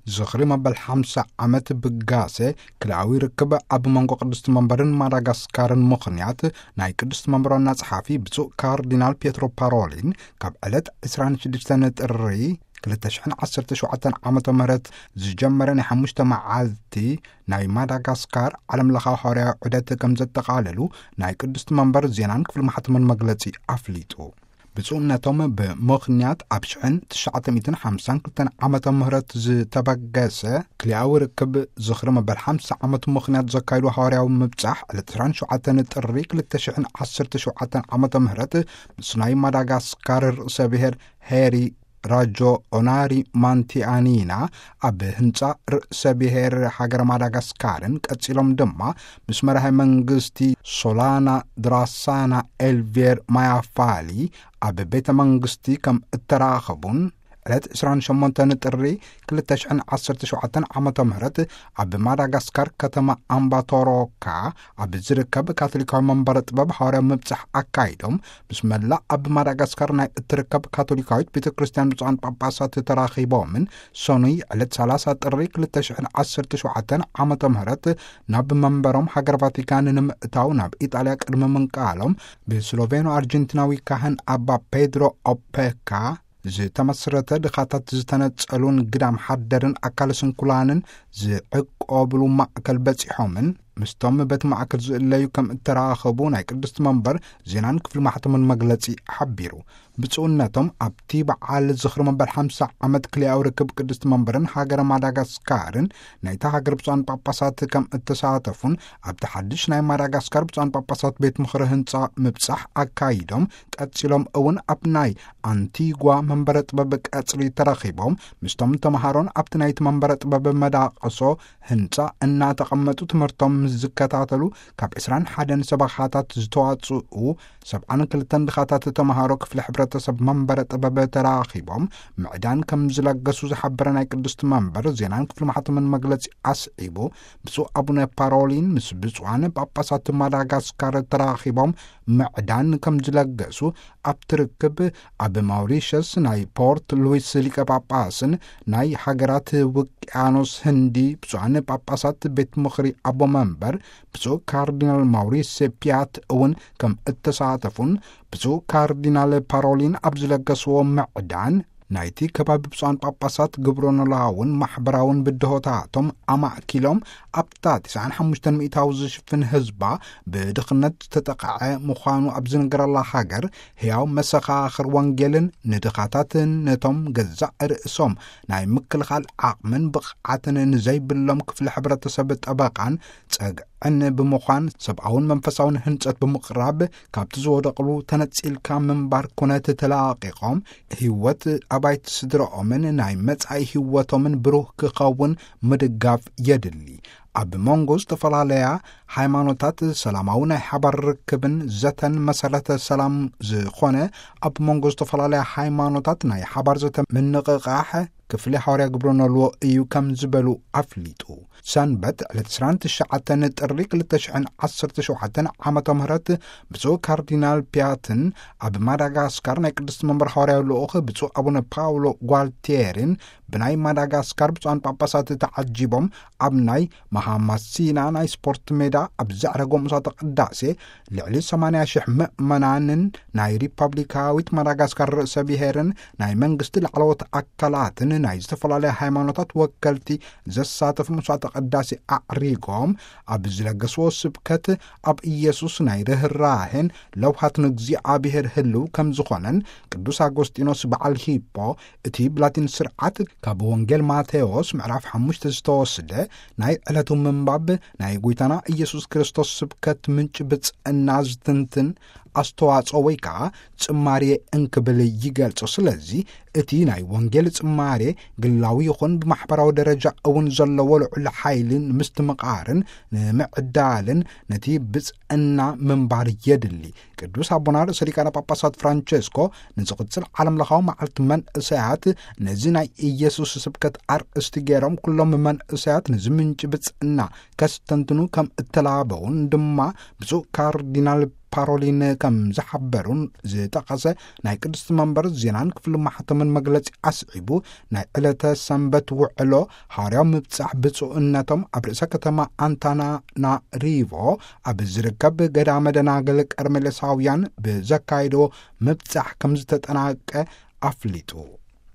ዝኽሪ መበል ሓምሳ ዓመት ብጋሴ ክልኣዊ ርክብ ኣብ መንጎ ቅድስቲ መንበርን ማዳጋስካርን ምኽንያት፣ ናይ ቅድስቲ መንበር ዋና ጸሓፊ ብፁዕ ካርዲናል ፒየትሮ ፓሮሊን፣ ካብ ዕለት ዕስራን ሽዱሽተን ጥሪ ክልተ ሽሕን ዓሰርተ ሸውዓተን ዓመተ ምህረት ዝጀመረ ናይ ሓሙሽተ መዓልቲ ናይ ማዳጋስካር ዓለም ለኻዊ ሃዋርያዊ ዑደት ከም ዘጠቓለሉ ናይ ቅድስቲ መንበር ዜናን ክፍሊ ማሕተምን መግለጺ ኣፍሊጡ። ብፁዕነቶም ብምኽንያት ኣብ ሽሕን ትሽዓተ ሚእትን ሓምሳን ክልተን ዓመተ ምህረት ዝተበገሰ ክልኣዊ ርክብ ዝኽሪ መበል ሓምሳ ዓመት ምኽንያት ዘካይዱ ሃዋርያዊ ምብጻሕ ዕለት ዕስራን ሸውዓተን ጥሪ ክልተ ሽሕን ዓሰርተ ሸውዓተን ዓመተ ምህረት ምስ ናይ ማዳጋስካር ርእሰ ብሔር ሄሪ ራጆ ኦናሪ ማንቲኣኒና ኣብ ህንጻ ርእሰ ብሔር ሃገር ማዳጋስካርን ቀጺሎም ድማ ምስ መራሒ መንግስቲ ሶላና ድራሳና ኤልቬር ማያፋሊ ኣብ ቤተ መንግስቲ ከም እተራኸቡን ዕለት ዕስራን ሸሞንተን ጥሪ ክልተ ሽሕን ዓሰርተ ሸውዓተን ዓመተ ምህረት ኣብ ማዳጋስካር ከተማ ኣምባቶሮካ ኣብ ዝርከብ ካቶሊካዊ መንበረ ጥበብ ሃዋርያዊ ምብጻሕ ኣካይዶም፣ ምስ መላእ ኣብ ማዳጋስካር ናይ እትርከብ ካቶሊካዊት ቤተ ክርስቲያን ብፁዓን ጳጳሳት ተራኺቦምን፣ ሰኑይ ዕለት ሰላሳ ጥሪ ክልተ ሽሕን ዓሰርተ ሸውዓተን ዓመተ ምህረት ናብ መንበሮም ሃገር ቫቲካን ንምእታው ናብ ኢጣልያ ቅድሚ ምንቃሎም፣ ብስሎቬኖ ኣርጀንቲናዊ ካህን ኣባ ፔድሮ ኦፔካ ዝተመስረተ ድኻታት ዝተነጸሉን ግዳም ሓደርን ኣካለ ስንኩላንን ዝዕቆብሉ ማእከል በጺሖምን፣ ምስቶም በቲ ማእከል ዝእለዩ ከም እተራኸቡ ናይ ቅድስቲ መንበር ዜናን ክፍሊ ማሕተምን መግለጺ ሓቢሩ። ብፁዕነቶም ኣብቲ በዓል ዝኽሪ መበል ሓምሳ ዓመት ክልኣዊ ርክብ ቅድስቲ መንበርን ሃገረ ማዳጋስካርን ናይታ ሃገር ብፁዓን ጳጳሳት ከም እተሳተፉን፣ ኣብቲ ሓድሽ ናይ ማዳጋስካር ብፁዓን ጳጳሳት ቤት ምኽሪ ህንጻ ምብጻሕ ኣካይዶም፣ ቀጺሎም እውን ኣብ ናይ ኣንቲጓ መንበረ ጥበብ ቀጽሪ ተረኺቦም፣ ምስቶም ተመሃሮን ኣብቲ ናይቲ መንበረ ጥበብ መዳቕሶ ህንጻ እናተቐመጡ ትምህርቶም ምስ ዝከታተሉ፣ ካብ ዕስራን ሓደን ሰበኻታት ዝተዋጽኡ ሰብዓን ክልተን ድኻታት ተመሃሮ ክፍሊ ሕብረተሰብ መንበረ ጥበብ ተራኺቦም ምዕዳን ከም ዝለገሱ ዝሓበረ ናይ ቅድስቲ መንበር ዜናን ክፍሊ ማሕተምን መግለጺ ኣስዒቡ፣ ብፁዕ ኣቡነ ፓሮሊን ምስ ብፁዓን ጳጳሳት ማዳጋስካር ተራኺቦም ምዕዳን ከም ዝለገሱ ኣብቲ ርክብ ኣብ ማውሪሸስ ናይ ፖርት ሉዊስ ሊቀ ጳጳስን ናይ ሃገራት ውቅያኖስ ህንዲ ብፁዓን ጳጳሳት ቤት ምኽሪ ኣቦ መንበር ብፁዕ ካርዲናል ማውሪስ ፒያት እውን ከም እተሳተፉን፣ ብፁዕ ካርዲናል ፓሮሊን ኣብ ዝለገስዎ ምዕዳን፣ ናይቲ ከባቢ ብፁዓን ጳጳሳት ግብረ ኖላውን ማሕበራውን ብድሆታቶም ኣማእኪሎም፣ ኣብታ ትስዓን ሓሙሽተን ሚእታዊ ዝሽፍን ህዝባ ብድኽነት ዝተጠቕዐ ምዃኑ ኣብ ዝንገረላ ሃገር፣ ህያው መሰኻኽር ወንጌልን ንድኻታትን ነቶም ገዛእ ርእሶም ናይ ምክልኻል ዓቕምን ብቕዓትን ንዘይብሎም ክፍሊ ሕብረተሰብ ጠበቓን ጸግዕን ብምዃን፣ ሰብኣውን መንፈሳውን ህንጸት ብምቕራብ፣ ካብቲ ዝወደቕሉ ተነጺልካ ምንባር ኩነት ተላቒቖም፣ ህይወት ኣባይቲ ስድራኦምን ናይ መጻኢ ህይወቶምን ብሩህ ክኸውን ምድጋፍ የድሊ። ኣብ መንጎ ዝተፈላለያ ሃይማኖታት ሰላማዊ ናይ ሓባር ርክብን ዘተን መሰረተ ሰላም ዝኾነ፣ ኣብ መንጎ ዝተፈላለያ ሃይማኖታት ናይ ሓባር ዘተ ምንቕቓሕ ክፍሊ ሃዋርያ ግብረ ኖልዎ እዩ ከም ዝበሉ ኣፍሊጡ። ሰንበት ዕለት ዕስራን ትሽዓተን ጥሪ ክልተ ሽሕን ዓሰርተ ሸውዓተን ዓመተ ምህረት ብፁዕ ካርዲናል ፒያትን ኣብ ማዳጋስካር ናይ ቅድስቲ መንበር ሃዋርያዊ ልኡኽ ብፁዕ ኣቡነ ፓውሎ ጓልቲየሪን ብናይ ማዳጋስካር ብፁዓን ጳጳሳት ተዓጂቦም ኣብ ናይ ማሃማሲና ናይ ስፖርት ሜዳ ኣብ ዘዕረጎ ምሳተ ቅዳሴ ልዕሊ ሰማንያ ሽሕ ምእመናንን ናይ ሪፐብሊካዊት ማዳጋስካር ርእሰ ብሔርን ናይ መንግስቲ ላዕለዎት ኣካላትን ናይ ዝተፈላለያ ሃይማኖታት ወከልቲ ዘሳተፉ መስዋዕተ ቅዳሴ ኣዕሪጎም ኣብ ዝለገስዎ ስብከት ኣብ ኢየሱስ ናይ ርህራሄን ለውሃትን እግዚኣብሔር ህልው ከም ዝኾነን ቅዱስ ኣጎስጢኖስ በዓል ሂፖ እቲ ብላቲን ስርዓት ካብ ወንጌል ማቴዎስ ምዕራፍ ሓሙሽተ ዝተወስደ ናይ ዕለቱ ምንባብ ናይ ጐይታና ኢየሱስ ክርስቶስ ስብከት ምንጪ ብጽዕና ዝትንትን ኣስተዋጽኦ ወይ ከኣ ጽማሬ እንክብል ይገልጾ። ስለዚ እቲ ናይ ወንጌል ጽማሬ ግላዊ ይኹን ብማሕበራዊ ደረጃ እውን ዘለዎ ልዑል ሓይሊ ንምስትምቓርን ንምዕዳልን ነቲ ብጽ እና ምንባር የድሊ። ቅዱስ ኣቦና ርእሰ ሊቃነ ጳጳሳት ፍራንቸስኮ ንዝቕጽል ዓለም ለኻዊ መዓልቲ መንእሰያት ነዚ ናይ ኢየሱስ ስብከት ኣርእስቲ ገይሮም ኩሎም መንእሰያት ነዚ ምንጪ ብጽእና ከስተንትኑ ከም እተላበውን ድማ ብፁዕ ካርዲናል ፓሮሊን ከም ዝሓበሩን ዝጠቐሰ ናይ ቅድስቲ መንበር ዜናን ክፍሊ ማሕተምን መግለጺ ኣስዒቡ፣ ናይ ዕለተ ሰንበት ውዕሎ ሃዋርያዊ ምብጻሕ ብፁዕነቶም ኣብ ርእሰ ከተማ ኣንታናናሪቮ ኣብ ዝርከብ ገዳመ ደናግል ቀርሜሌሳውያን ብዘካየድዎ ምብጻሕ ከም ዝተጠናቀ ኣፍሊጡ።